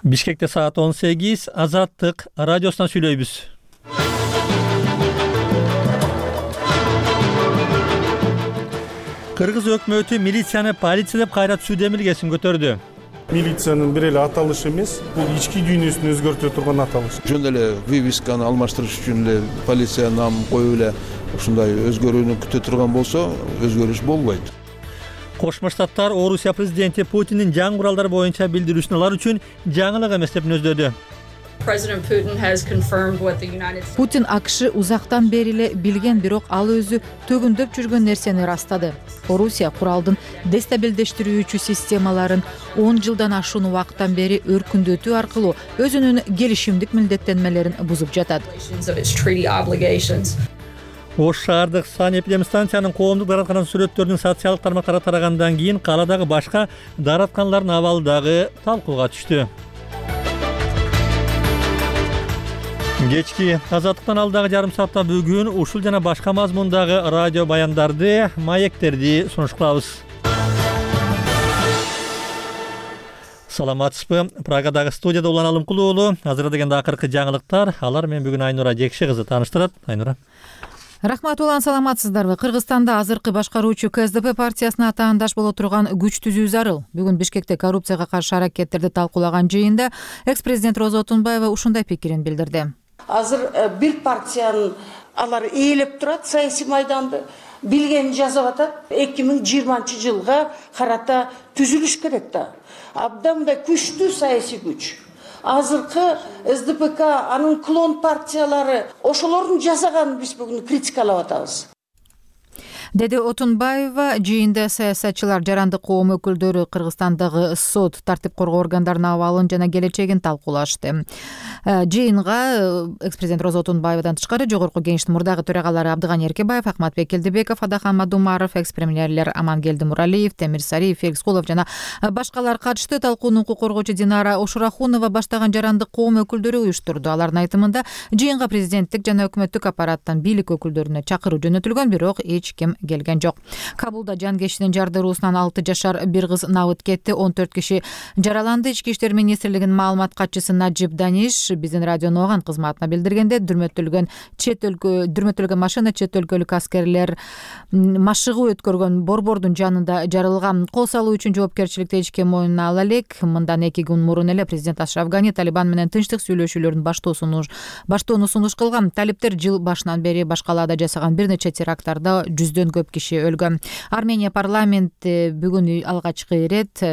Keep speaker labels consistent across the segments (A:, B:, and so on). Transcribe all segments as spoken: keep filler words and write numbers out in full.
A: Бишкекте саат он сегиз, Азаттык радиосунан сүйлөйбүз. Кыргыз өкмөтү милицияны полиция деп кайра түзүү милгесин көтөрдү.
B: Милициянын бир эле аталышы эмес, бул ички дүйнөсүн өзгөртө турган аталыш.
C: Жөн эле вивисканы алмаштырыш үчүн эле полиция нам коюп эле ушундай өзгөрүүнү күтө турган болсо, өзгөрүш болбойт.
A: Кошмо Штаттар Орусия президенти Путиндин жаңы куралдар боюнча билдирүүсүн алар үчүн жаңылык эмес деп мүнөздөдү.
D: Путин АКШ узактан бери эле билген, бирок ал өзү төгүндөп жүргөн нерсени ырастады. Орусия куралдын дестабилдештирүүчү системаларын он жылдан ашуун убакыттан бери өркүндөтүү аркылуу өзүнүн келишимдик милдеттенмелерин бузуп жатат.
A: Ош шаардык санэпидемстанциянын коомдук дараткананын сүрөттөрүнүн социалдык тармактарга тарагандан кийин кааладагы башка даратканалардын абалы дагы талкууга түштү. Кечки Азаттыктан алдагы жарым саатта бүгүн ушул жана башка мазмундагы радио баяндарды, маектерди сунуш кылабыз. Саламатсызбы? Прагадагы студияда Улан Алымкулуу уулу. Азыр дегенде акыркы жаңылыктар. Алар менен бүгүн Айнура Жекши кызы тааныштырат. Айнура.
D: Рахмат, Улан, саламатсыздарбы? Кыргызстанда азыркы башкаруучу КСДП партиясына атаандаш боло турган күч түзүү зарыл. Бүгүн Бишкекте коррупцияга каршы аракеттерди талкуулаган жыйында экс-президент Роза Отунбаева ушундай пикирин билдирди.
E: Азыр бир партиянын алар ээлеп турат, саясий майданды билгенин жазып атат. эки миң жыйырманчы жылга карата түзүлүш керек да. Абдан мындай күчтүү саясий күч. Азыркы СДПК, анын клон партиялары ошолордун жасаганын биз бүгүн критикалап атабыз.
D: Деди Отунбаева, жыйында саясатчылар, жарандык коом өкүлдөрү Кыргызстандагы сот, тартип коргоо органдарынын абалын жана келечегин талкуулашты. Жыйынга экс-президент Роза Отунбаевадан тышкары Жогорку Кеңештин мурдагы төрагалары Абдыганы Эркебаев, Акматбек Келдибеков, Адахан Мадумаров, экс-премьерлер Амангелди Муралиев, Темир Сариев, Феликс Кулов жана башкалар катышты. Талкууну укук коргоочу Динара Ошурахунова баштаган жарандык коом өкүлдөрү уюштурду. Алардын айтымында, жыйынга президенттик жана өкмөттүк аппараттан бийлик өкүлдөрүнө чакыруу жөнөтүлгөн, бирок эч ким келген жок. Кабулда жанкештин жардыруусунан алты жашар бир кыз набыт кетти, он төрт киши жараланды. Ички иштер министрлигинин маалымат катчысы Наджиб Даниш биздин радионун оған кызматына билдиргенде, дүрмөтүлгөн чет өлкө дүрмөтүлгөн машина чет өлкөлүк аскерлер машыгуу өткөргөн борбордун жанында жарылган. Кол салуу үчүн жоопкерчиликти эч ким мойнуна ала элек. Мындан эки күн мурун эле президент Ашраф Гани Талибан менен тынчтык сүйлөшүүлөрүн баштоону сунуш кылган. Талиптер жыл башынан бери башкалаада жасаган бир нече теракттарда жүздөн көп киши өлгөн. Армения парламенти бүгүн алгачкы ирет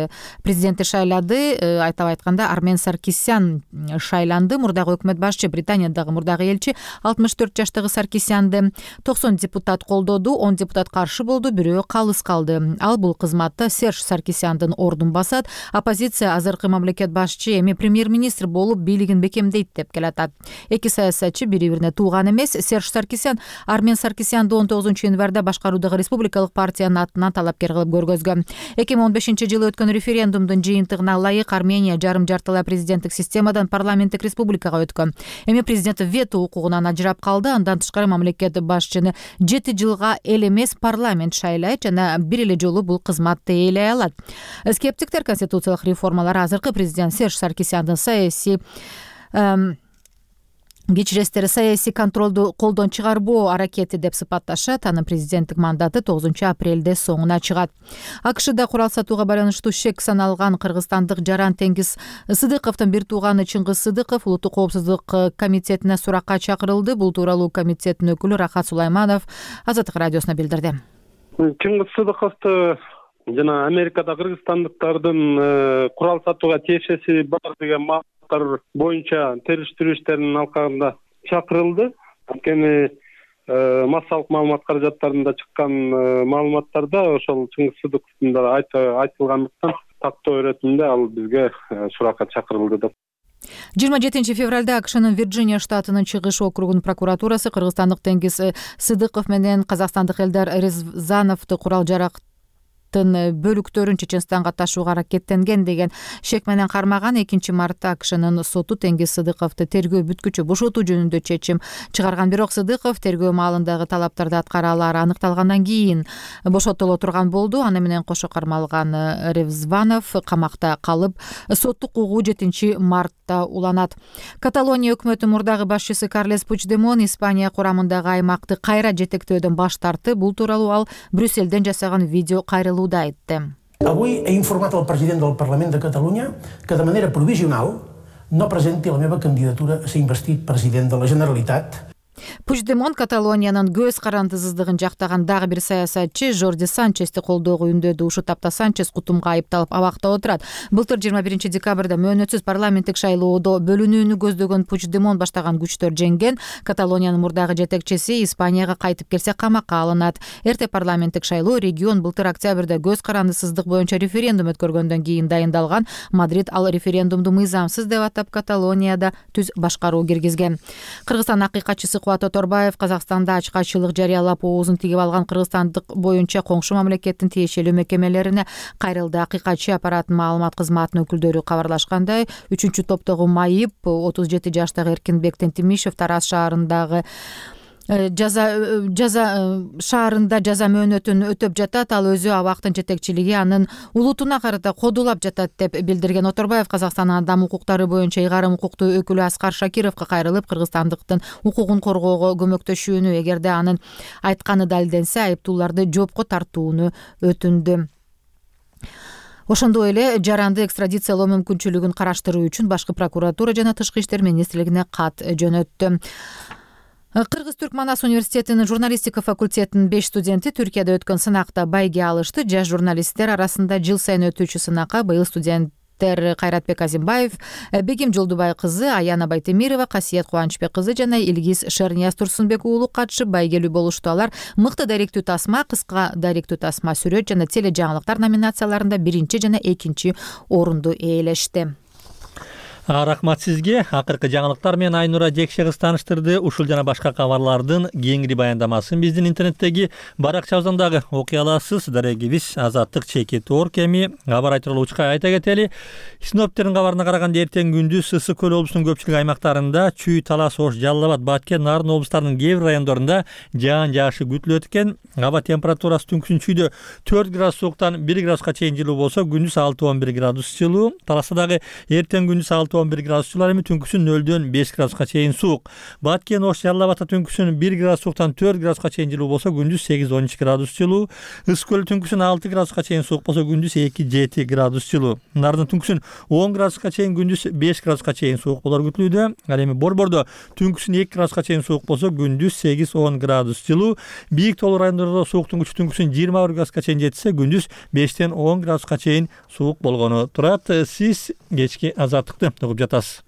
D: президентти шайлады. Айтап айтканда, Армен Саркисян шайланды. Мурдагы өкмөт башчы, Британиядагы мурдагы элчи алтымыш төрт жаштагы Саркисянды токсон депутат колдоду, он депутат каршы болду, бирөө калыс калды. Ал бул кызматта Серж Саркисяндын ордун басат. Оппозиция азыркы мамлекет башчы эми премьер-министр болуп бийлигин бекемдейт деп келатат. Эки саясатчы бири-бирине тууган эмес. Серж Саркисян Армен Саркисянды он тогузунчу январда башкаруудагы республикалык партиянын атынан талапкер кылып көргөзгөн. эки миң он бешинчи жылы өткөн референдумдун жыйынтыгына ылайык Армения жарым жартылай президенттик системадан парламенттик республикага өткөн. Эми президент вето укугунан ажырап калды. Андан тышкары мамлекет башчыны жети жылга эл эмес парламент шайлайт жана бир эле жолу бул кызматты ээлей алат. Скептиктер конституциялык реформалар азыркы президент Серж Саркисяндын саясий кечиресиздер саясий контролду колдон чыгарбоо аракети деп сыпатташат. Анын президенттик мандаты тогузунчу апрелде соңуна чыгат. АКШда курал сатууга байланыштуу шек саналган кыргызстандык Жаран Теңиз Сыдыковдун бир тууганы Чыңгыз Сыдыков улуттук коопсуздук комитетине суракка чакырылды. Бул тууралуу комитеттин өкүлү Рахат Сулайманов Азаттык радиосуна билдирди.
B: Чыңгыз Сыдыковду жана Америкада кыргызстандыктардын курал сатууга тиешеси бар деген боюнча териштирүү иштеринин алкагында чакырылды. Анткени массалык маалымат каражаттарында чыккан маалыматтарда ошол Чыңгыз Сыдыковдун да айтылгандыктан тактоо өретинде ал бизге суракка чакырылды деп.
D: жыйырма жетинчи февралда АКШнын Вирджиния штатынын Чыгыш округунун прокуратурасы кыргызстандык Теңиз Сыдыков менен казакстандык Элдар Резановду курал жарак бөлүктөрүн Чеченстанга ташууга аракеттенген деген шек менен кармаган экинчи мартта АКШнын соту Теңиз Сыдыковду тергөө бүткүчө бошотуу жөнүндө чечим чыгарган. Бирок Сыдыков тергөө маалындагы талаптарды аткара алары аныкталгандан кийин бошотуло турган болду. Аны менен кошо кармалган Ревзванов камакта калып, соттук угуу жетинчи мартта уланат. Каталония өкмөтү мурдагы башчысы Карлес Пучдемон Испания курамындагы аймакты кайра жетектөөдөн баш тартты. Бул тууралуу ал Брюсселден жасаган видео кайрылууда айтты.
F: Avui he informat el president del Parlament de Catalunya que de manera provisional no presenti la meva candidatura a ser investit president de la Generalitat.
D: Пучдемон Каталониянын көз карандысыздыгын жактаган дагы бир саясатчы Жорди Санчести колдоого үндөдү. Ушул тапта Санчес кутумга айыпталып абакта отурат. Былтыр жыйырма биринчи декабрда мөөнөтсүз парламенттик шайлоодо бөлүнүүнү көздөгөн Пучдемон баштаган күчтөр жеңген. Каталониянын мурдагы жетекчиси Испанияга кайтып келсе камакка алынат. Эрте парламенттик шайлоо регион былтыр октябрда көз карандысыздык боюнча референдум өткөргөндөн кийин дайындалган. Мадрид ал референдумду мыйзамсыз деп атап Каталонияда түз башкаруу киргизген. Кыргызстан акыйкатчысы Кубат Оторбаев Казакстанда ачкачылык жарыялап оозун тигип алган кыргызстандык боюнча коңшу мамлекеттин тиешелүү мекемелерине кайрылды. Акыйкатчы аппараттын маалымат кызматынын өкүлдөрү кабарлашкандай, үчүнчү топтогу майып отуз жети жаштагы Эркинбек Тентимишев Тараз шаарындагы жаза жаза шаарында жаза мөөнөтүн өтөп жатат. Ал өзү абактын жетекчилиги анын улутуна карата кодулап жатат деп билдирген. Оторбаев Казакстандын адам укуктары боюнча ыйгарым укуктуу өкүлү Аскар Шакировго кайрылып, кыргызстандыктын укугун коргоого көмөктөшүүнү, эгерде анын айтканы далилденсе, айыптууларды жоопко тартууну өтүндү. Ошондой эле жаранды экстрадициялоо мүмкүнчүлүгүн караштыруу үчүн башкы прокуратура жана Тышкы иштер министрлигине кат жөнөттү. Кыргыз-Түрк Манас университетинин журналистика факультетинин беш студенти Түркияда өткөн сынакта байге алышты. Жаш журналисттер арасында жыл сайын өтүүчү сынакка быйыл студенттер Кайратбек Азимбаев, Бегим Жолдубай кызы, Аяна Байтемирова, Касиет Кубанычбек кызы жана Илгиз Шернияз Турсунбек уулу катышып байгелүү болушту. Алар мыкты даректүү тасма, кыска даректүү тасма, сүрөт жана теле жаңылыктар номинацияларында биринчи жана экинчи орунду ээлешти.
A: Рахмат сизге. Акыркы жаңылыктар менен Айнура Жекше кыз тааныштырды. Ушул жана башка кабарлардын кеңири баяндамасын биздин интернеттеги баракчабыздан дагы окуй аласыз. Дарегибиз Азаттык чеки тоор кеми кабар айтылуучка айта кетели. Синоптиктердин кабарына караганда эртең күндүз Ысык көл облусунун көпчүлүк аймактарында, Чүй, Талас, Ош, Жалал Абад, Баткен, Нарын облустарынын кээ бир райондорунда жаан жаашы күтүлөт экен. Аба температурасы түнкүсүн Чүйдө төрт градус сууктан бир градуска чейин жылуу болсо, күндүз алты он бир градус жылуу. Таласта дагы эртең күндүз алты он бир градус жылуу, эми түнкүсүн нөлдөн беш градуска чейин суук. Баткен, Ош, Жалал Абадта түнкүсүн бир градус сууктан төрт градуска чейин жылуу болсо, күндүз сегиз он үч градус жылуу. Ысык көл түнкүсүн алты градуска чейин суук болсо, күндүз эки жети градус жылуу. Нардын түнкүсүн он градуска чейин, күндүз беш градуска чейин суук болор күтүлүүдө. Ал эми Борбордо түнкүсүн эки градуска чейин суук болсо, күндүз сегиз он градус жылуу. Бийик тоолуу райондордо сууктун күчү түнкүсүн жыйырма бир градуска чейин жетсе, күндүз бештен он градуска чейин суук болгону турат. Сиз кечки Азаттыкты угуп жатасыз.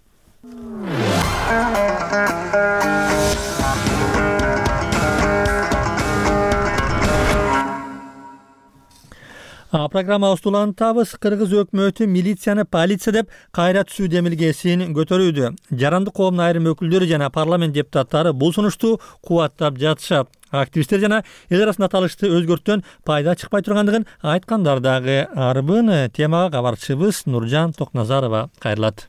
A: Программабызды улантабыз. Кыргыз өкмөтү милицияны полиция деп кайра түзүү демилгесин көтөрүүдө. Жарандык коомдун айрым өкүлдөрү жана парламент депутаттары бул сунушту кубаттап жатышат. Активисттер жана эл арасында аталышты өзгөртүүдөн пайда чыкпай тургандыгын айткандар дагы арбын. Темага кабарчыбыз Нуржан Токназарова кайрылат.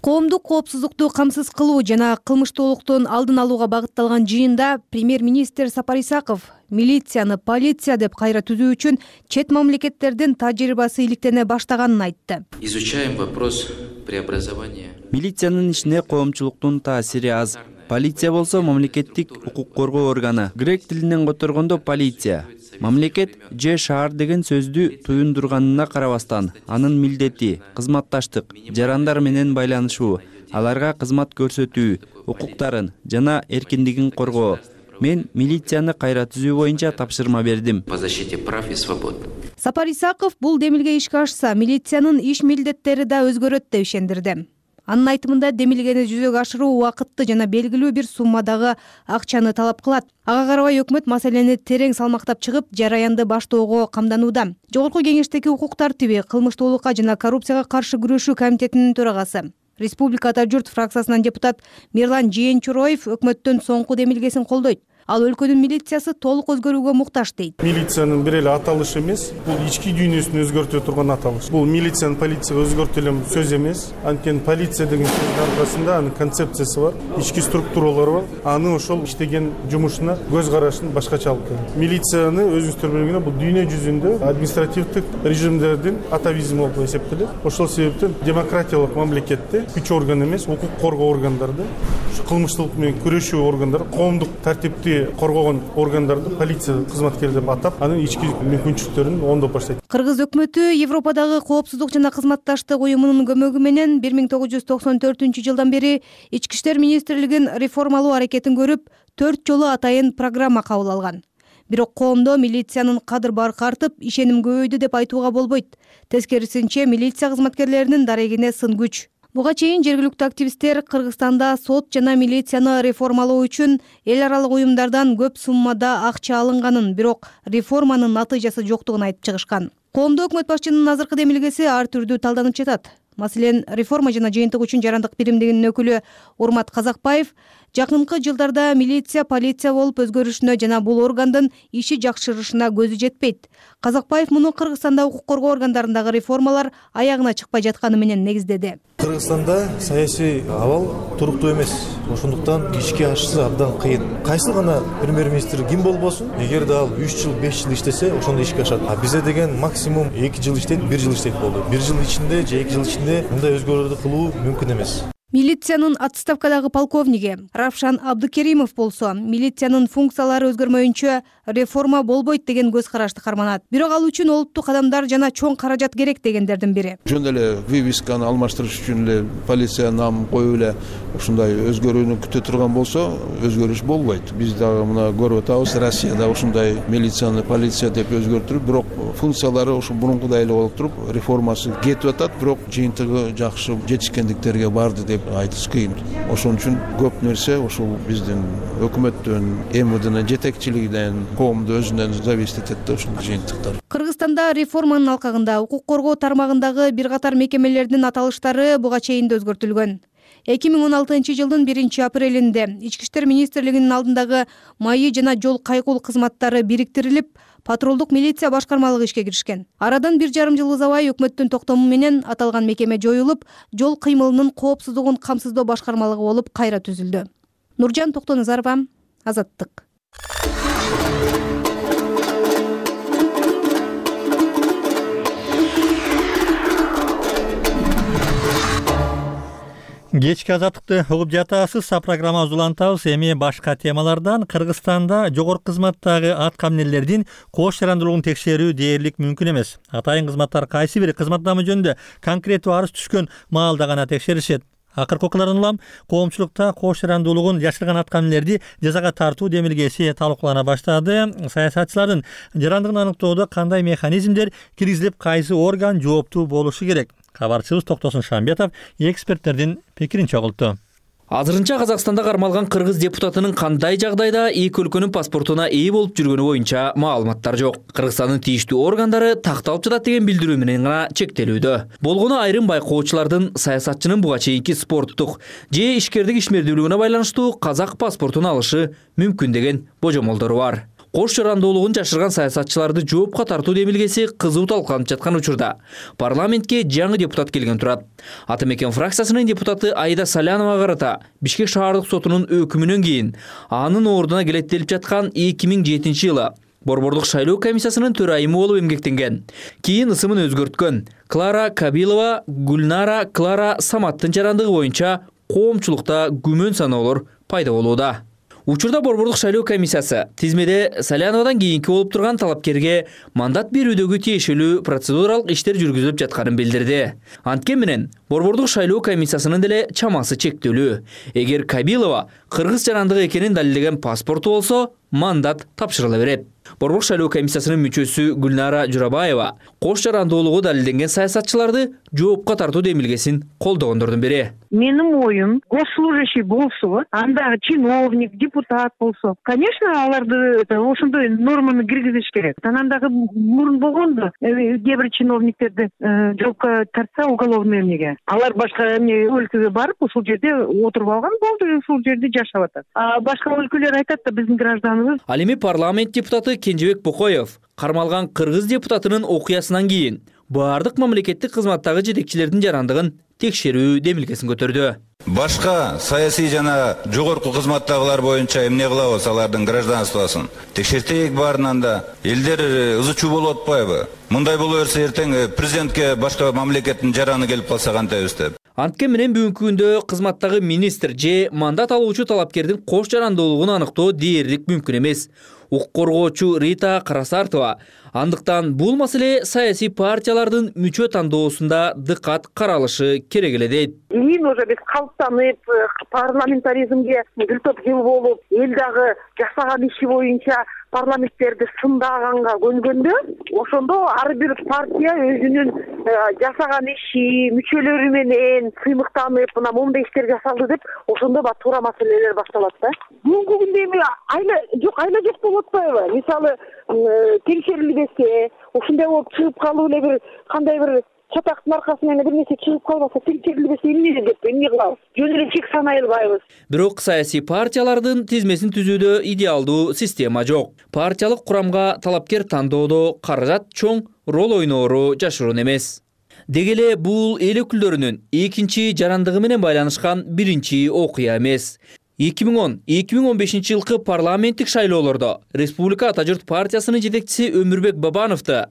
G: Коомдук коопсуздукту камсыз кылуу жана кылмыштуулуктун алдын алууга багытталган жыйында премьер-министр Сапар Исаков милицияны полиция деп кайра түзүү үчүн чет мамлекеттердин тажрыйбасы иликтене баштаганын айтты.
H: Изучаем вопрос преобразования.
I: Милициянын ишине коомчулуктун таасири аз. Полиция болсо мамлекеттик укук коргоо органы. Грек тилинен которгондо полиция. Мамлекет же шаар деген сөздү туюндурганына карабастан, анын милдети кызматташтык, жарандар менен байланышуу, аларга кызмат көрсөтүү, укуктарын жана эркиндигин коргоо. Мен милицияны кайра түзүү боюнча тапшырма бердим.
H: По защите прав и свобод.
G: Сапар Исаков бул демилге ишке ашса, милициянын иш милдеттери да өзгөрөт деп ишендирди. Анын айтымында демилгени жүзөгө ашыруу убакытты жана белгилүү бир суммадагы акчаны талап кылат. Ага карабай өкмөт маселени терең салмактап чыгып, жараянды баштоого камданууда. Жогорку кеңештеги укук тартиби, кылмыштуулукка жана коррупцияга каршы күрөшүү комитетинин төрагасы, Республика Ата журт фракциясынан депутат Мирлан Жээнчуроев өкмөттүн соңку демилгесин колдойт. Ал өлкөнүн милициясы толук өзгөрүүгө муктаж дейт.
B: Милициянын бир эле аталышы эмес, бул ички дүйнөсүн өзгөртө турган аталыш. Бул милициянын полицияга өзгөртө эле сөз эмес. Анткени полиция деген сөздүн аркасында анын концепциясы бар, ички структуралары бар. Аны ошол иштеген жумушуна көз карашын башкача алып келет. Милицияны өзүңүздөр билгендей бул дүйнө жүзүндө административдик режимдердин атавизми болуп эсептелет. Ошол себептен демократиялык мамлекетте күч орган эмес, укук коргоо органдарды, кылмыштуулук менен күрөшүү органдары, коомдук тартипти коргогон органдарды полиция кызматкери деп атап, анын ички мүмкүнчүлүктөрүн оңдоп баштайт.
G: Кыргыз өкмөтү Европадагы коопсуздук жана кызматташтык уюмунун көмөгү менен бир миң тогуз жүз токсон төртүнчү жылдан бери Ички иштер министрлигин реформалоо аракетин көрүп, төрт жолу атайын программа кабыл алган. Бирок коомдо милициянын кадыр баркы артып, ишеним көбөйдү деп айтууга болбойт. Тескерисинче, милиция кызматкерлеринин дарегине сын күч. Буга чейин жергиликтүү активисттер Кыргызстанда сот жана милицияны реформалоо үчүн эл аралык уюмдардан көп суммада акча алынганын, бирок реформанын натыйжасы жоктугун айтып чыгышкан. Коомдо өкмөт башчынын азыркы демилгеси ар түрдүү талданып жатат. Маселен, реформа жана жыйынтык үчүн жарандык биримдигинин өкүлү Урмат Казакбаев жакынкы жылдарда милиция полиция болуп өзгөрүшүнө жана бул органдын иши жакшырышына көзү жетпейт. Казакбаев муну Кыргызстанда укук коргоо органдарындагы реформалар аягына чыкпай жатканы менен негиздеди.
J: Кыргызстанда саясий абал туруктуу эмес. Ошондуктан ишке ашышы абдан кыйын. Кайсы гана премьер-министр ким болбосун, эгерде ал үч жыл, беш жыл иштесе, ошондо ишке ашат. А бизде деген максимум эки жыл иштейт, бир жыл иштейт болду. бир жыл ичинде же эки жыл ичинде мындай өзгөрүүлөрдү кылуу мүмкүн эмес.
G: Милициянын отставкадагы полковниги Равшан Абдыкеримов болсо, милициянын функциялары өзгөрмөйүнчө реформа болбойт деген көз карашты карманат. Бирок ал үчүн олуттук кадамдар жана чоң каражат керек дегендердин бири.
C: Жөн эле вывесканы алмаштырыш үчүн эле полиция нам коюп эле ушундай өзгөрүүнү күтө турган болсо, өзгөрүш болбойт. Биз дагы мына көрүп атабыз, Россияда ушундай милицияны полиция деп өзгөртүрүп, бирок функциялары ошо мурункудай эле болуп туруп, реформасы кетип атат, бирок жыйынтыгы жакшы жетишкендиктерге барды деп айтыш кыйын. Ошон үчүн көп нерсе ошол биздин өкмөттөн, эм вэ днын жетекчилигинен, коомду өзүнөн зависит этет ошол жыйынтыктар.
G: Кыргызстанда реформанын алкагында укук коргоо тармагындагы бир катар мекемелердин аталыштары буга чейин да өзгөртүлгөн. эки миң он алтынчы жылдын биринчи апрелинде Ички иштер министрлигинин алдындагы майы жана жол кайгул кызматтары бириктирилип, патрулдук милиция башкармалыгы ишке киришкен. Арадан бир жарым жыл узабай өкмөттүн токтому менен аталган мекеме жоюлуп, жол кыймылынын коопсуздугун камсыздоо башкармалыгы болуп кайра түзүлдү. Нуржан Токтоназарова, Азаттык.
A: Кечки азаттыкты угуп жатасыз. Программа улантабыз. Эми башка темалардан Кыргызстанда жогорку кызматтагы аткам эмнелердин кош жарандуулугун текшерүү дээрлик мүмкүн эмес. Атайын кызматтар кайсы бир кызматтамы жөнүндө конкреттүү арыз түшкөн маалда гана текшеришет. Акыркы окуялардан улам коомчулукта кош жарандуулугун жашырган аткамнелерди жазага тартуу демилгеси талкуулана баштады. Саясатчылардын жарандыгын аныктоодо кандай механизмдер киргизилип, кайсы орган жооптуу болушу керек? Кабарчыбыз Токтосун Шамбетов эксперттердин пикирин чогултту.
K: Азырынча Казакстанда кармалган кыргыз депутатынын кандай жагдайда эки өлкөнүн паспортуна ээ болуп жүргөнү боюнча маалыматтар жок. Кыргызстандын тийиштүү органдары такталып жатат деген билдирүү менен гана чектелүүдө. Болгону айрым байкоочулардын саясатчынын буга чейинки спорттук же ишкердик ишмердүүлүгүнө байланыштуу казак паспортун алышы мүмкүн деген божомолдору бар. Кош жарандуулугун жашырган саясатчыларды жоопко тартуу демилгеси кызуу талкууланып жаткан учурда парламентке жаңы депутат келген турат. Ата мекен фракциясынын депутаты Аида Салянова карата Бишкек шаардык сотунун өкүмүнөн кийин анын ордуна келеттелип жаткан эки миң жетинчи жылы Борбордук шайлоо комиссиясынын төрайымы болуп эмгектенген. Кийин ысымын өзгөрткөн Клара Кабилова Гүлнара Клара Саматтын жарандыгы боюнча коомчулукта күмөн саноолор пайда болууда. Учурда Борбордук шайлоо комиссиясы тизмеде Саляновадан кийинки болуп турган талапкерге мандат берүүдөгү тиешелүү процедуралык иштер жүргүзүлүп жатканын билдирди. Анткени менен Борбордук шайлоо комиссиясынын деле чамасы чектелүү. Эгер Кабилова кыргыз жарандыгы экенин далилдеген паспорту болсо, мандат тапшырыла берет. Борбор шайлоо комиссиясынын мүчөсү Гүлнара Журабаева кош жарандуулугу далилденген саясатчыларды жоопко тартуу демилгесин колдогондордун бири.
L: Менин оюм, госслужащий болсо, андагы чиновник, депутат болсо, конечно, аларды ошондой норманы киргизиш керек. Анандагы мурун болгондо, кээ бир чиновниктерди жоопко тартса уголовный эмнеге. Алар башка эмне өлкөгө барып, ушул жерде отуруп алган болду, ушул жерде жашап атат. А башка өлкөлөр айтат да биздин гражданыбыз.
K: Ал эми парламент депутаты Кенжебек Бокоев кармалган кыргыз депутатынын окуясынан кийин баардык мамлекеттик кызматтагы жетекчилердин жарандыгын текшерүү демилгесин көтөрдү.
M: Башка саясий жана жогорку кызматтагылар боюнча эмне кылабыз алардын гражданствосын? Текшертейик баарынан да. Элдер ызы чуу болуп атпайбы? Мындай боло берсе эртең президентке башка мамлекеттин жараны келип калса кантайбыз деп.
K: Антке менен бүгүнкү күндө кызматтагы министр же мандат алуучу талапкердин кош жарандуулугун аныктоо дээрлик мүмкүн эмес. Укук коргоочу Рита Карасартова андыктан бул маселе саясий партиялардын мүчө тандоосунда дыккат каралышы керек эле дейт.
L: Кийин уже биз калыптанып, парламентаризмге бир топ жыл болуп, эл дагы жасаган иши боюнча парламенттерди сындаганга көнгөндө, ошондо ар бир партия өзүнүн жасаган иши, мүчөлөрү менен сыймыктанып, мына моундай иштер жасалды деп, ошондо ба туура маселелер башталат да. Бүгүнкү күндө эми айла жок, айла жок болуп атпайбы? Мисалы, текшерилбесе, ушундай болуп чыгып калып эле бир кандай бир чатактын аркасынан бир нерсе чыгып калбаса, текшерилбесе эмне деп эмне кылабыз? Жөн эле чек санай албайбыз.
K: Бирок саясий партиялардын тизмесин түзүүдө идеалдуу система жок. Партиялык курамга талапкер тандоодо каражат чоң роль ойноору жашыруун эмес. Деги эле бул эл өкүлдөрүнүн экинчи жарандыгы менен байланышкан биринчи окуя эмес. эки миң он эки миң он бешинчи жылкы парламенттик шайлоолордо Республика Ата журт партиясынын жетекчиси Өмүрбек Бабановду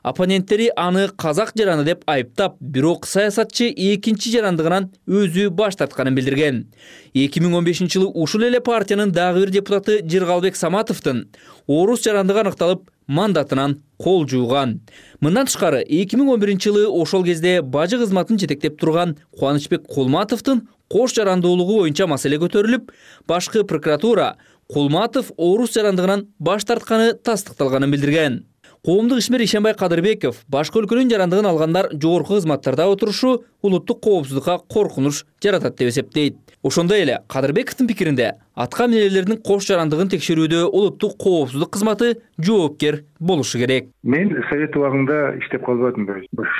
K: оппоненттери аны казак жараны деп айыптап, бирок саясатчы экинчи жарандыгынан өзү баш тартканын билдирген. эки миң он бешинчи жылы ушул эле партиянын дагы бир депутаты Жыргалбек Саматовдун орус жарандыгы аныкталып, мандатынан кол жууган. Мындан тышкары эки миң он биринчи жылы ошол кезде бажы кызматын жетектеп турган Кубанычбек Кулматовдун кош жарандуулугу боюнча маселе көтөрүлүп, башкы прокуратура Кулматов орус жарандыгынан баш тартканы тастыкталганын билдирген. Коомдук ишмер Ишенбай Кадырбеков башка өлкөнүн жарандыгын алгандар жогорку кызматтарда отурушу улуттук коопсуздукка коркунуч жаратат деп эсептейт. Ошондой эле Кадырбековдун пикиринде атка минерлердин кош жарандыгын текшерүүдө улуттук коопсуздук кызматы жоопкер болушу керек.
N: Мен совет убагында иштеп калбадым.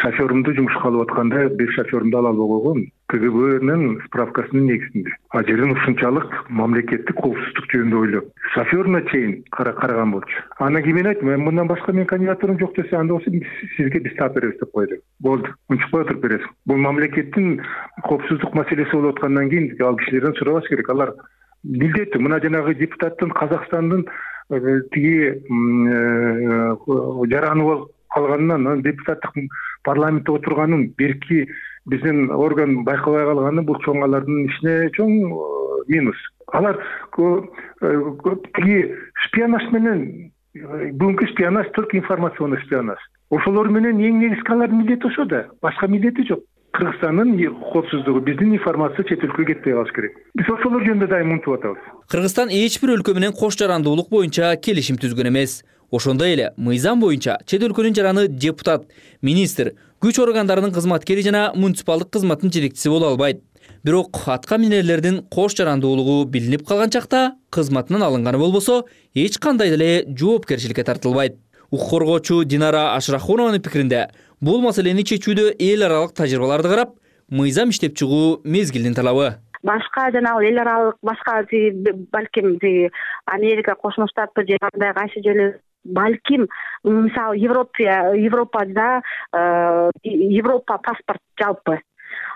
N: Шофёрүмдү жумушка алып атканда бир шофёрүмдү ала албай койгом. КГБнын справкасынын негизинде. А жерден ушунчалык мамлекеттик коопсуздук жөнүндө ойлоп, шофёруна чейин караган болчу. Анан кийин мен айттым, мен мындан башка менин кандидатурам жок десе, анда болсо сизге биз таап беребиз деп койду. Болду, унчукпай отуруп бересиз. Бул мамлекеттин коопсуздук маселеси болуп аткандан кийин ал кишилерден сурабаш керек. Алар билдеттүү, мына жанагы депутаттын Казакстандын тиги жараны болуп калганынан, депутаттык парламентте отурганын берки биздин орган байкабай калганы бул чоң алардын ишине чоң минус. Алар тиги шпионаж менен, бүгүнкү шпионаж только информационный шпионаж. Ошолор менен эң негизги алардын милдети ошо да, башка милдети жок. Кыргызстандын коопсуздугу, биздин информация чет өлкөгө кетпей калыш керек. Биз ошолор жөнүндө дайым умтуп атабыз.
K: Кыргызстан эч бир өлкө менен кош жарандуулук боюнча келишим түзгөн эмес. Ошондой эле мыйзам боюнча чет өлкөнүн жараны депутат, министр, күч органдарынын кызматкери жана муниципалдык кызматтын жетекчиси боло албайт. Бирок атка минерлердин кош жарандуулугу билинип калган чакта кызматынан алынганы болбосо, эч кандай деле жоопкерчиликке тартылбайт. Укук коргоочу Динара Ашрахунованын пикиринде, бул маселени чечүүдө эл аралык тажрыйбаларды карап, мыйзам иштеп чыгуу мезгилдин талабы.
L: Башка жанагы эл аралык, башка балким Америка Кошмо Штаты же кандай кайсы жерлер, балким мисалы Европа, Европада Европа паспорт жалпы.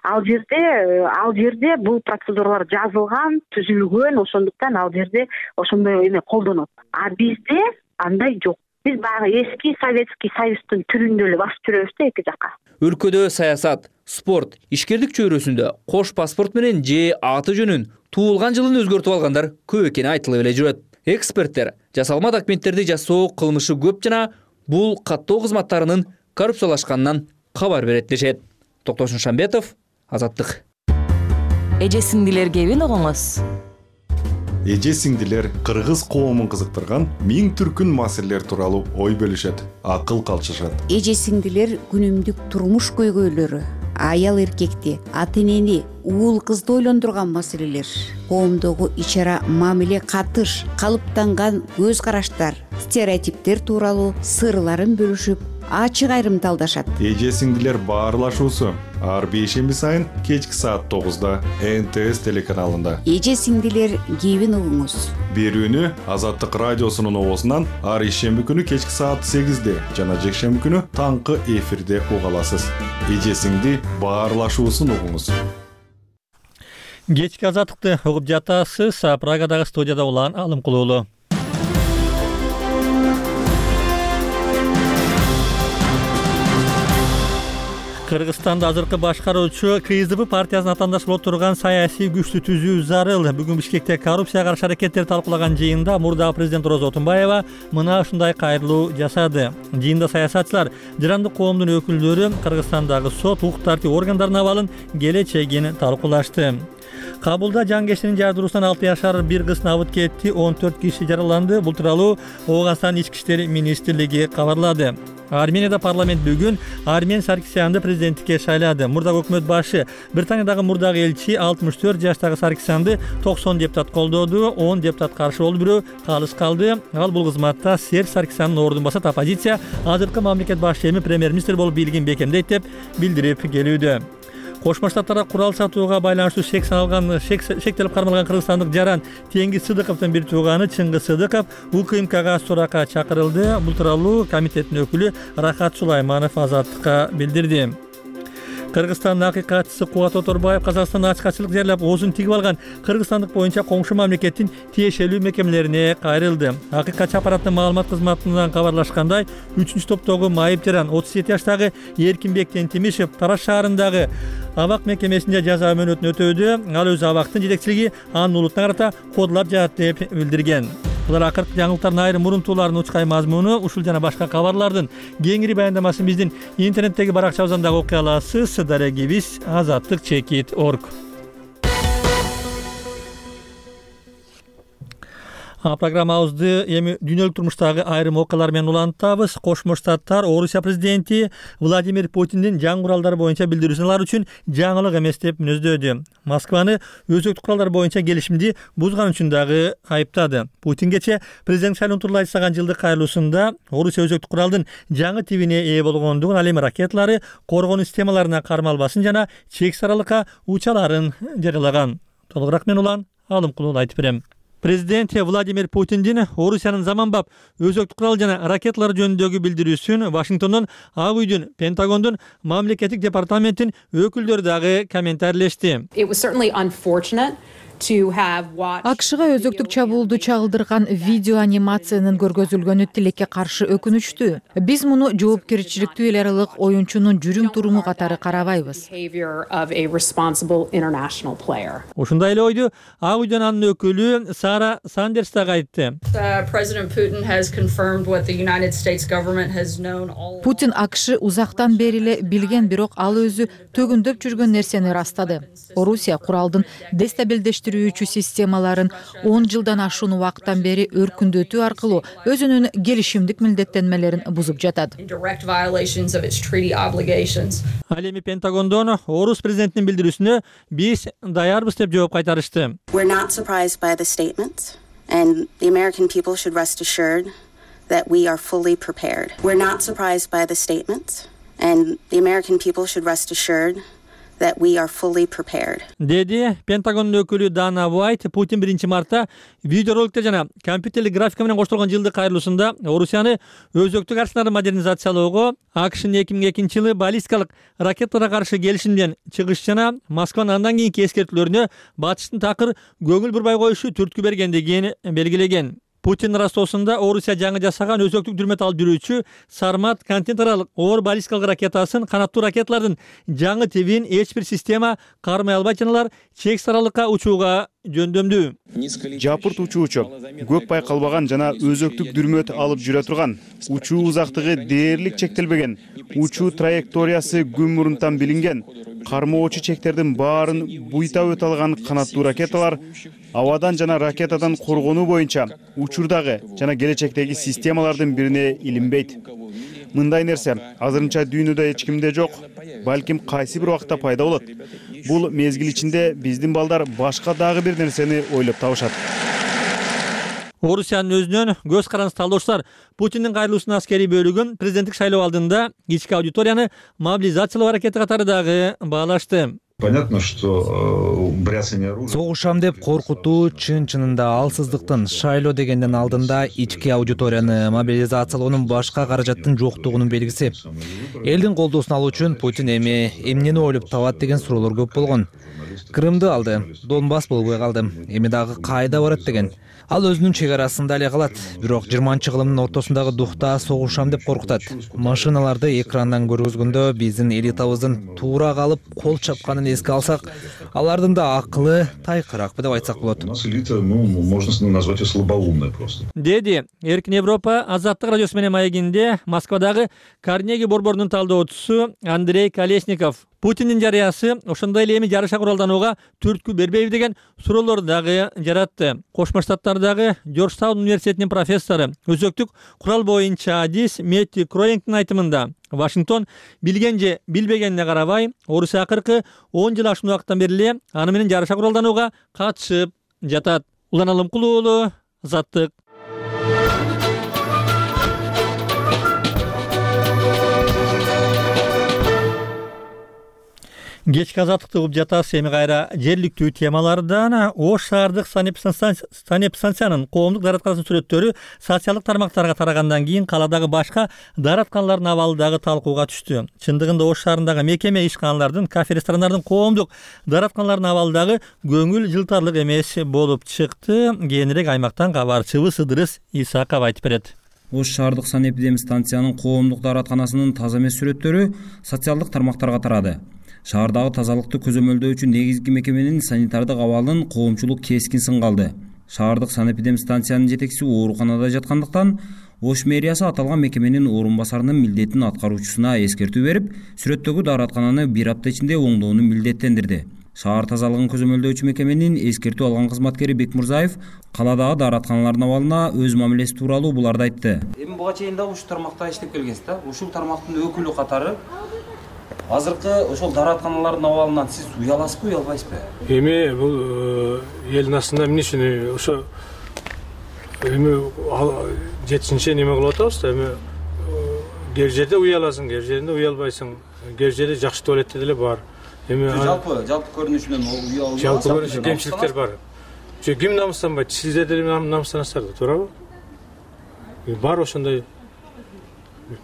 L: Ал жерде, ал жерде бул процедуралар жазылган, түзүлгөн, ошондуктан ал жерде ошондой эме колдонот. А бизде андай жок. Биз баягы эски Советский Союздун түрүндө эле басып жүрөбүз да эки жакка.
K: Өлкөдө саясат, спорт, ишкерлик чөйрөсүндө кош паспорт менен же аты жөнүн, туулган жылын өзгөртүп алгандар көп экени айтылып эле жүрөт. Эксперттер жасалма документтерди жасоо кылмышы көп жана бул каттоо кызматтарынын коррупциялашканынан кабар берет дешет. Токтошун Шамбетов, Азаттык.
O: Эже сиңдилерге эбин огоңуз. эже сиңдилер кыргыз коомун кызыктырган миң түркүн маселелер тууралуу ой бөлүшөт, акыл калчышат.
P: Эже сиңдилер күнүмдүк турмуш көйгөйлөрү, аял эркекти, ата энени, уул кызды ойлондурган маселелер, коомдогу ич ара мамиле, катыш, калыптанган көз караштар, стереотиптер тууралуу сырларын бөлүшүп, ачык айрымталдашат.
O: Эже сиңдилер баарлашуусу ар бейшемби сайын кечки саат тогузда эн тэ эс телеканалында.
P: Эже сиңдилер кебин угуңуз.
O: Берүүнү Азаттык радиосунун оозунан ар ишемби күнү кечки саат сегизде жана жекшемби күнү таңкы эфирде уга аласыз. Эже сиңди баарлашуусун угуңуз.
A: Кечки Азаттыкты угуп жатасыз. Прагадагы студияда улан Алым Кулуулу. Кыргызстанда азыркы башкаруучу ка эс дэ бэ партиясынын атаандаш боло турган саясий күчтү түзүү зарыл. Бүгүн Бишкекте коррупцияга каршы аракеттерди талкуулаган жыйында мурдагы президент Роза Отунбаева мына ушундай кайрылуу жасады. Жыйында саясатчылар, жарандык коомдун өкүлдөрү Кыргызстандагы сот, укук тартип органдарынын абалын, келечегин талкуулашты. Кабулда жангештинин жардыруусунан алты жашар бир кыз абыт кетти, он төрт киши жараланды. Бул тууралуу Оогастан ички иштер министрлиги кабарлады. Арменияда парламент бүгүн Армен Саркисянды президенттикке шайлады. Мурдагы өкмөт башы, Британиядагы мурдагы элчи алтымыш төрт жаштагы Саркисянды токсон депутат колдоду, он депутат каршы болду, бирөө калыс калды. Ал бул кызматта Серж Саркисяндын ордун басат. Оппозиция азыркы мамлекет башы эми премьер-министр болуп бийлигин бекемдейт деп билдирип келүүдө. Кошмо Штаттарга курал сатууга байланыштуу шек салган, шектелип кармалган кыргызстандык жаран Теңиз Сыдыковдун бир тууганы Чыңгыз Сыдыков У К М Кга суракка чакырылды. Бул тууралуу комитеттин өкүлү Рахат Сулайманов Азаттыкка билдирди. Кыргызстандын акыйкатчысы Кубат Оторбаев Казакстанда ачкачылык жерлеп оозун тигип алган кыргызстандык боюнча коңшу мамлекеттин тиешелүү мекемелерине кайрылды. Акыйкатчы аппараттын маалымат кызматынан кабарлашкандай, үчүнчү топтогу майып жаран отуз жети жаштагы Эркинбек Тентимишев Тараш шаарындагы абак мекемесинде жаза мөөнөтүн өтөөдө. Ал өз абактын жетекчилиги анын улутуна карата кодулап жатат деп билдирген. Булар акыркы жаңылыктардын айрым мурунтууларынын учкай мазмуну. Ушул жана башка кабарлардын кеңири баяндамасын биздин интернеттеги баракчабыздан дагы окуй аласыз. Дарегибиз азаттык чекит точка орг. Программабызды эми дүйнөлүк турмуштагы айрым окуялар менен улантабыз. Кошмо Штаттар Орусия президенти Владимир Путиндин жаңы куралдар боюнча билдирүүсүн алар үчүн жаңылык эмес деп мүнөздөдү. Москваны өзөктүк куралдар боюнча келишимди бузган үчүн дагы айыптады. Путин кече президент шайлоонун турулай жасаган жылдык кайрылуусунда Орусия өзөктүк куралдын жаңы тибине ээ болгондугун, ал эми ракеталары коргонуу системаларына кармалбасын жана чексиз аралыкка учаларын жарыялаган. Толугураак мен улан Алым Кулуулу айтып берем. Президент Владимир Путиндин Орусиянын заманбап өзөктүк курал жана ракеталар жөнүндөгү билдирүүсүн Вашингтондон, Ак үйдүн, Пентагондун, мамлекеттик департаменттин өкүлдөрү дагы комментарийлешти.
D: ак шга өзөктүк чабуулду чагылдырган видео анимациянын көргөзүлгөнү тилекке каршы өкүнүчтүү. Биз муну жоопкерчиликтүү эл аралык оюнчунун жүрүм туруму катары карабайбыз.
A: Ушундай эле ойду Ак үйдөн анын өкүлү Сара Сандерс дагы айтты.
D: Путин ак ш узактан бери эле билген, бирок ал өзү төгүндөп жүргөн нерсени ырастады. Орусия куралдын дестабилдештирүүчү системаларын он жылдан ашуун убакыттан бери өркүндөтүү аркылуу өзүнүн келишимдик милдеттенмелерин бузуп жатат.
A: Ал эми Пентагондон Орус президентинин билдирүүсүнө биз даярбыз деп жооп кайтарышты.
Q: We're not surprised by the statement, and the American people should rest assured that we are fully prepared. We're not surprised by the statement, and the American people should rest assured that we are fully prepared.
A: Деди Пентагондун өкүлү Дана Уайт. Путин биринчи мартта видеороликтер жана компьютерлик графика менен коштолгон жылдык кайрылуусунда Орусияны өзөктүк арсеналды модернизациялоого, ак шнын эки миң экинчи жылы баллистикалык ракеталарга каршы келишимден чыгыш жана Москванын андан кийинки эскертүүлөрүнө батыштын такыр көңүл бурбай коюшу түрткү бергендигин белгилеген. Путин растоосунда Орусия жаңы жасаган өзөктүк дүрмөт алып жүрүүчү Сармат континент аралык оор баллистикалык ракетасын, канаттуу ракеталардын жаңы тибин эч бир система кармай албайт, жаналар чексиз аралыкка учууга жөндөмдүү.
R: Жапырт учуучу, көп байкалбаган жана өзөктүк дүрмөт алып жүрө турган, учуу узактыгы дээрлик чектелбеген, учуу траекториясы күн мурунтан билинген, кармоочу чектердин баарын буйта өтө алган канаттуу ракеталар абадан жана ракетадан коргонуу боюнча учурдагы жана келечектеги системалардын бирине илинбейт. Мындай нерсе азырынча дүйнөдө эч кимде жок, балким кайсы бир убакта пайда болот. Бул мезгил ичинде биздин балдар башка дагы бир нерсени ойлоп табышат.
A: Орусиянын өзүнөн көз каранды талдоочулар Путиндин кайрылуусунун аскерий бөлүгүн президенттик шайлоо алдында ички аудиторияны мобилизациялоо аракети катары дагы баалашты.
S: Понятно, что бряцание оружия.
T: Согушам деп коркутуу чын-чынында алсыздыктын, шайлоо дегенден алдында ички аудиторияны мобилизациялоонун башка каражаттын жоктугунун белгиси. Элдин колдоосун алуу үчүн Путин эми эмнени ойлоп табат деген суроолор көп болгон. Крымды алды, Донбасс болбой калды. Эми дагы кайда барат деген. Ал өзүнүн чек арасында эле калат. Бирок жыйырманчы кылымдын ортосундагы духта согушам деп коркутат. Машиналарды экрандан көргөзгөндө биздин элитабыздын туура калып кол чапканын эске алсак, алардын да акылы тайкыракпы деп айтсак болот.
S: Можно назвать ее слабоумной просто.
A: Деди Эркин Европа Азаттык радиосу менен маегинде Москвадагы Карнеги борборунун талдоочусу Андрей Колесников. Путиндин жарыясы ошондой эле эми жарыша куралданууга түрткү бербейби деген суроолорду дагы жаратты. Кошмо Штаттардагы Жоржтаун университетинин профессору, өзөктүк курал боюнча адис Метти Кроингдин айтымында, Вашингтон билген же билбегенине карабай, Орусия акыркы он жыл ашуун убакыттан бери эле аны менен жарыша куралданууга катышып жатат. Улан Алымкулуу уулу, Азаттык. Кечки Азаттыкты угуп жатасыз. Эми кайра жергиликтүү темалардан Ош шаардык санэпидстанциянын коомдук дааратканасынын сүрөттөрү социалдык тармактарга тарагандан кийин каладагы башка дааратканалардын абалы дагы талкууга түштү. Чындыгында Ош шаарындагы мекеме, ишканалардын, кафе, ресторандардын коомдук дааратканалардын абалы дагы көңүл жылтарлык эмес болуп чыкты. Кийинирээк аймактан кабарчыбыз Ыдырыс Исаков айтып берет.
U: Ош шаардык санэпидстанциянын коомдук дааратканасынын таза эмес сүрөттөрү социалдык тармактарга тарады. Шаардагы тазалыкты көзөмөлдөөчү негизги мекеменин санитардык абалын коомчулук кескин сынга алды. Шаардык санэпидстанциянын жетекчиси ооруканада жаткандыктан Ош мэриясы аталган мекеменин орун басарынын милдетин аткаруучусуна эскертүү берип, сүрөттөгү даараткананы бир апта ичинде оңдоону милдеттендирди. Шаар тазалыгын көзөмөлдөөчү мекеменин эскертүү алган кызматкери Бекмурзаев каладагы дааратканалардын абалына өз мамилеси тууралуу буларды айтты.
V: Эми буга чейин да ушул тармакта иштеп келгенсиз да? Ушул тармактын өкүлү катары азыркы ошол дааратканалардын абалынан сиз уяласызбы, уялбайсызбы?
W: Эми бул элдин астында эмне үчүн ошо эми жетишинче неме кылып атабыз да, эми кээ бир жерде уяласың, кээ бир жерде уялбайсың, кээ бир жерде жакшы туалетте деле бар. Эми
V: жалпы жалпы көрүнүшүнөн уял.
W: Жалпы көрүнүшү кемчиликтер бар. Жо ким намыстанбайт? Сиздер деле намыстанасыздар да, туурабы? Бар ошондой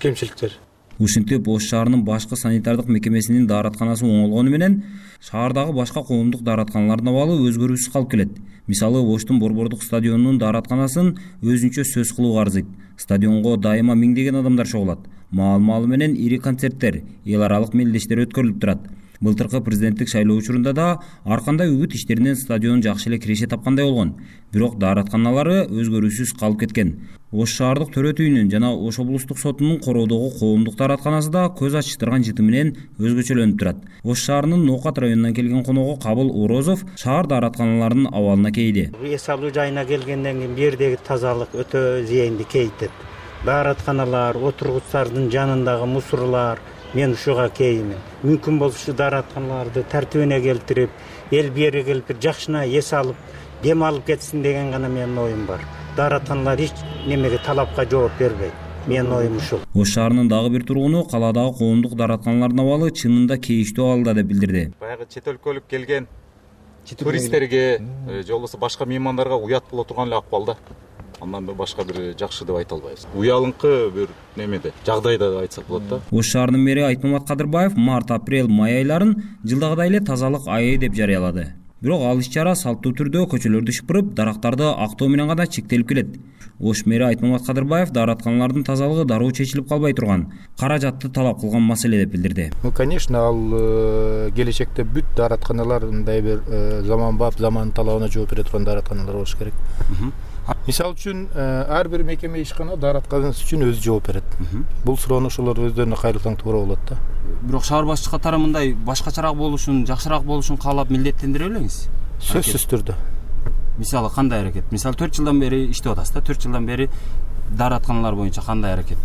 W: кемчиликтер.
U: Ушинтип Ош шаарынын башкы санитардык мекемесинин дааратканасы оңолгону менен шаардагы башка коомдук дааратканалардын абалы өзгөрүүсүз калып келет. Мисалы Оштун борбордук стадионунун дааратканасын өзүнчө сөз кылууга арзыйт. Стадионго дайыма миңдеген адамдар чогулат. Маал-маалы менен ири концерттер, эл аралык мелдештер өткөрүлүп турат. Былтыркы президенттик шайлоо учурунда да ар кандай үгүт иштеринен стадион жакшы эле киреше тапкандай болгон. Бирок дааратканалары өзгөрүүсүз калып кеткен. Ош шаардык төрөт үйүнүн жана Ош облустук сотунун короодогу коомдук дааратканасы да көз ачыштырган жыты менен өзгөчөлөнүп турат. Ош шаарынын Ноокат районунан келген коногу Кабыл Орозов шаар дааратканаларынын абалына кейди.
X: Эс алуу жайына келгенден кийин бу жердеги тазалык өтө зыянды кейтет. Дааратканалар, отургучтардын жанындагы мусорлар, мен ушуга кейимин. Мүмкүн болушу дааратканаларды тартибине келтирип, эл бери келип жакшына эс алып, дем алып кетсин деген гана менин оюм бар. Дааратканалар эч немеге талапка жооп бербейт. Менин оюм ушул.
U: Ош шаарынын дагы бир тургуну каладагы коомдук дааратканалардын абалы чынында кейиштүү абалда деп билдирди.
Y: Баягы чет өлкөлүк келген туристтерге же болбосо башка меймандарга уят боло турган эле акыбалда. Андан башка бир жакшы деп айта албайбыз. Уялыңкы бир немеде, жагдайда деп айтсак болот да.
U: Ош шаарынын мэри Айтмамат Кадырбаев март, апрель, май айларын жылдагыдай эле тазалык айы деп жарыялады. Бирок ал иш-чара салттуу түрдө көчөлөрдү шыпырып, дарактарды актоо менен гана чектелип келет. Ош мэри Айтмамат Кадырбаев дааратканалардын тазалыгы дароо чечилип калбай турган, каражатты талап кылган маселе деп билдирди.
Z: Ну, конечно, ал келечекте бүт дааратканалар мындай бир заманбап, заманын талабына жооп бере турган дааратканалар болуш керек. Мисалы үчүн ар бир мекеме ишкана дааратканасы үчүн өзү жооп берет. Бул суроону ошолор өздөрүнө кайрылсаң туура болот да.
V: Бирок шаар башчы катары мындай башкачараак болушун, жакшыраак болушун каалап милдеттендире белеңиз?
Z: Сөзсүз түрдө.
V: мисалы кандай аракет, мисалы төрт жылдан бери иштеп атасыз да, төрт жылдан бери дааратканалар боюнча кандай аракет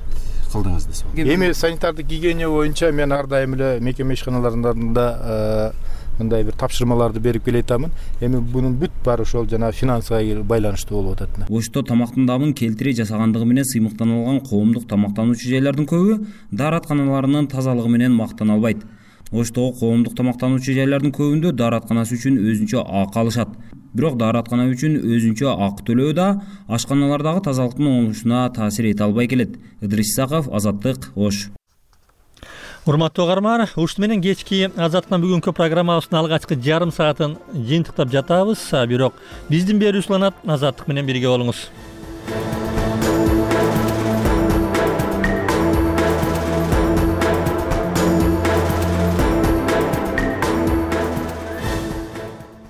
V: кылдыңыз десе.
Z: Эми санитардык гигиена боюнча мен ар дайым эле мекеме ишканаларында мындай бир тапшырмаларды берип келе атамын. Эми бунун бүт баары ошол жана финансыга байланыштуу болуп атат.
U: Ошто тамактын дамын келтире жасагандыгы менен сыймыктаналган коомдук тамактануучу жайлардын көбү дааратканаларынын тазалыгы менен мактана албайт. Оштогу коомдук тамактануучу жайлардын көбүндө дааратканасы үчүн өзүнчө акы алышат. Бирок даараткана үчүн өзүнчө акы төлөө да ашканалардагы тазалыктын оңолушуна таасир эте албай келет. Ыдырыс Исаков, Азаттык, Ош.
A: Урматтуу угарман, ушуну менен кечки Азаттын бүгүнкү программабыздын алгачкы жарым саатын жыйынтыктап жатабыз. Бирок биздин берүүчү уланат Азаттык менен бирге болуңуз.